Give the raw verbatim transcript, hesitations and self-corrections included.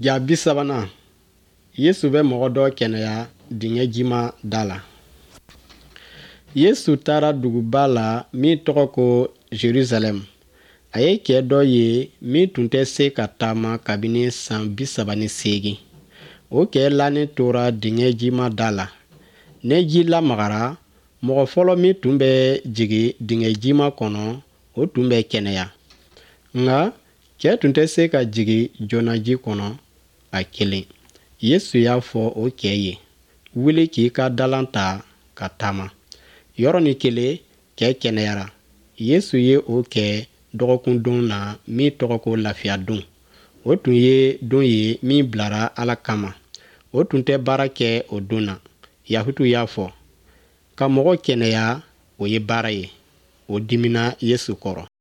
Ja bi sabanan, Yesu bɛ mɔgɔ dɔ kɛnɛya dingɛ jima da la. Yesu taara duguba la min tɔgɔ ko Jerusalɛm. A ye cɛ dɔ ye min tun tɛ se ka taama kabini san bi saba ni seegin. O cɛ lanen tora dingɛ jima da la. Ni ji lamagara, mɔgɔ fɔlɔ min tun bɛ jigin dingɛ jima kɔnɔ, o tun bɛ kɛnɛya. Nka cɛ tun tɛ se ka jigin joona ji kɔnɔ a kelen. Yesu y'a fɔ o cɛ ye, wuli k'i ka dalan ta ka taama. Yɔrɔnin kelen, cɛ kɛnɛyara. Yesu ye o kɛ dɔgɔkun don na min tɔgɔ ko lafiyadon. O tun ye don ye min bilara Ala kama. O tun tɛ baara kɛ o don na. Yahutuw y'a fɔ, ka mɔgɔ kɛnɛya, o ye baara ye. O dimina Yesu kɔrɔ.